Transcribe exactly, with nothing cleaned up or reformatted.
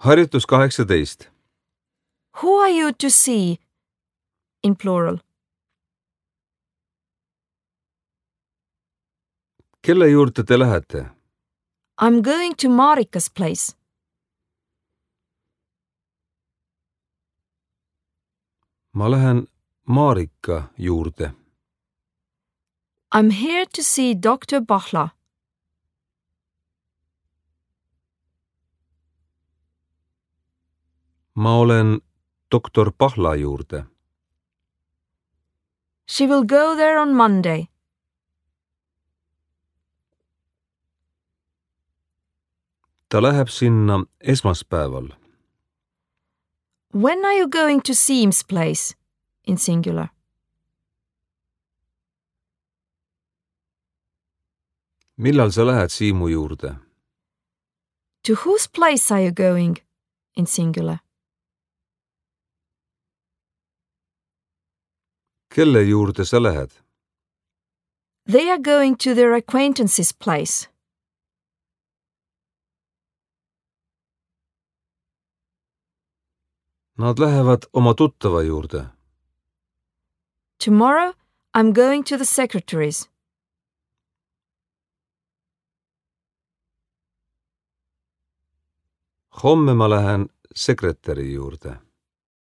Harjutus kaheksateist. Who are you to see? In plural. Kelle juurde te lähete? I'm going to Marika's place. Ma lähen Marika juurde. I'm here to see Doctor Bachla. Ma olen doktor Pahla juurde. She will go there on Monday. Ta läheb sinna esmaspäeval. When are you going to Siim's place? In singular. Millal sa lähed Siimu juurde? To whose place are you going? In singular. Kelle juurde sa lähed? They are going to their acquaintance's place. Nad lähevad oma tuttava juurde. Tomorrow I'm going to the secretary's. Homme ma lähen sekretäri juurde.